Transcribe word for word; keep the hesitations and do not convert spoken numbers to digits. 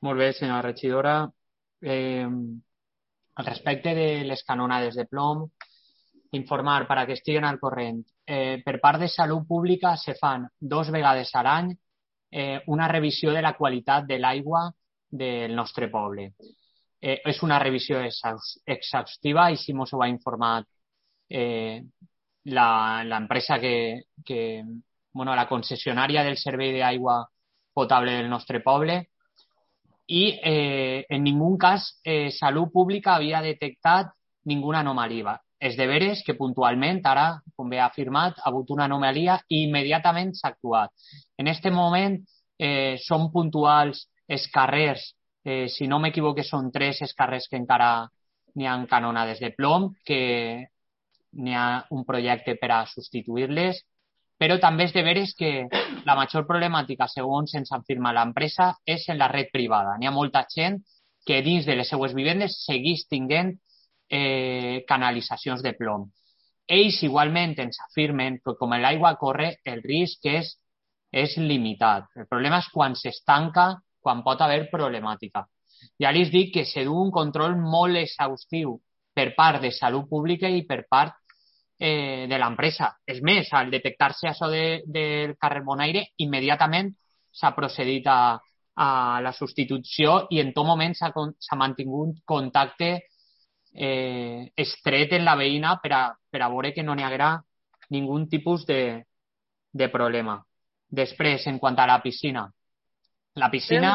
Molt bé, senyora regidora. Eh, al respecte de les canonades de plom, informar per a que estiguen al corrent. Eh, per part de Salut Pública se fan dos vegades a l'any eh, una revisió de la qualitat de l'aigua del nostre poble. Eh, és una revisió exhaustiva i si mos ho ha informat eh, l'empresa que, que, bueno, la concessionària del servei d'aigua potable del nostre poble i eh, en ningú cas eh, Salut Pública havia detectat ninguna anomalia. És de veres que puntualment, ara, com bé ha afirmat, ha hagut una anomalia i immediatament s'ha actuat. En aquest moment eh, són puntuals els carrers, eh, si no m'equivoque són tres els carrers que encara n'hi ha canonades de plom, que n'hi ha un projecte per a substituir-les, però també és de veres que la major problemàtica, segons ens afirma l'empresa, és en la red privada. N'hi ha molta gent que dins de les seues vivendes segueix tinguent eh, canalitzacions de plom. Ells igualment ens afirmen que com l'aigua corre, el risc és, és limitat. El problema és quan s'estanca, quan pot haver problemàtica. Ja els dic que se du un control molt exhaustiu per part de Salut Pública i per part eh, de l'empresa. És més, al detectar-se això de, del carrer Bonaire, immediatament s'ha procedit a, a la substitució i en tot moment s'ha mantingut contacte eh, estret en la veïna per a, per a veure que no n'hi haguera ningú tipus de, de problema. Després, en quant a la piscina, la piscina